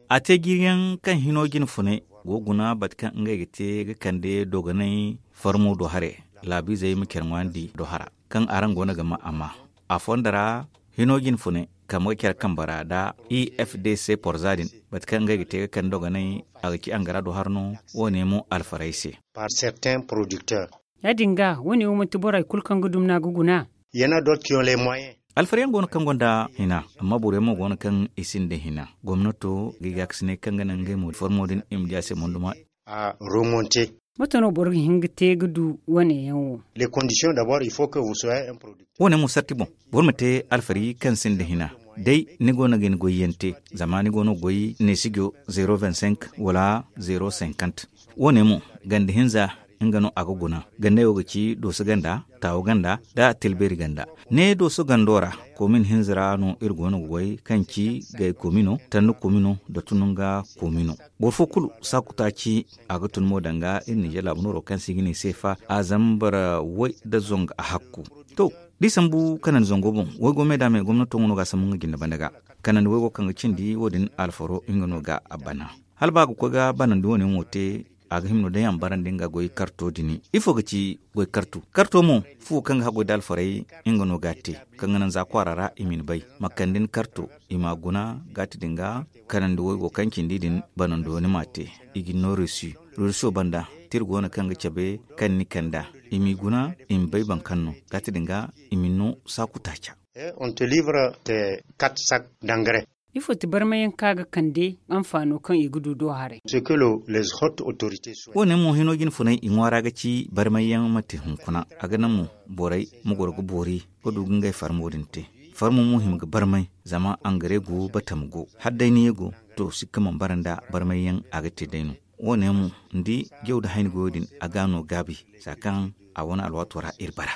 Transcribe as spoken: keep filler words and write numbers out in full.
A te jiiri yaŋ kaŋ hino jine funay go guna bate kaŋ ngey ga te ga kande dogonay farmo do hare laabiizey ma care ŋwaandi do hara kaŋ araŋ go no ga ma a ma a fondo ra hino jine funay kambe ga care kambe ra nda i f d c porza din bate kaŋ ngey ga te ga kande dogonay a ga ci angara do hara no. Wo- ne mo alfarey se. Ya- din ga wo- ne wo manti borey kulu kaŋ ga dum no a ga guna. Alfariyaŋ go no kaŋ gonda hina amma boroyaŋ mo go no kaŋ i sinda hina gomnato ga i gaakasinay kaŋ ga naŋ ngey mo formo din i ma di a se monduma. Mate no boro ga hin ga te ga du wo- ne yaŋ wo? Wo- ne mo sarti boŋ boro ma te alfari kaŋ sinda hina day ni go no ga ni goyyaŋ te zama ni go no ga goy neesijo zero vingt cinq wala zero cinquante. Wo- ne mo ganda hinza nga no a ga guna gandey wo ga ci dooso ganda taawo ganda nda tilbeeri ganda. Ne dooso gando ra koomin hinza ra no iri go no ga goy kaŋ ci gay koomino tanda koomino nda tununga koomino. Boro fo kulu saaku taaci a ga tun mo danga iri ninzeer laabu nooro kaŋ se i ga ne seefa a zambar way nda zongo a hakku. To, da i sambu kanandi zango boŋ waygo me da me gomnato nga no ga a sambu nga jinde banda ga kanandi waygo kaŋ ga cindi wo- din alfaro nga no ga a bana. Hala ba a ga koy ga banandi wo- ne mo te a ga hima no day a ma barandi nga goy karto din. Ifo ga ci goy karto karto mo fuwo kaŋ ga haggoy da alfarey nga no ga a te kaŋ ga naŋ za kwaara ra i ma ni bay ma kande ni karto i ma a guna gaati din ga kanandi waygo kaŋ cindi din banando ni ma a te. I ga ni no reesu reeso banda tira go no kaŋ ga cabe kaŋ ni kanda i m'i guna i ma bay baŋ kaŋ no gaati din ga i ma ni no saaku taaca. Ifo ti barmayaŋ kaŋ a ga kande anfaano kaŋ i ga du do haray? Wo- ne mo hino jine funay i ŋwaara ga ci barmayaŋ ma te hunkuna a ga naŋ mo borey ma goro ga boori ga du ga ngey farmo din te. Farmo mo hima ga barmay zama angare go batama go hala day ni ye go to sikka mana bara nda barmayyaŋ a ga te day no. Wo- ne mo ni di jaw nda hayni goyo din a ga a no gaabi za kaŋ a wane alwaato ra iri bara.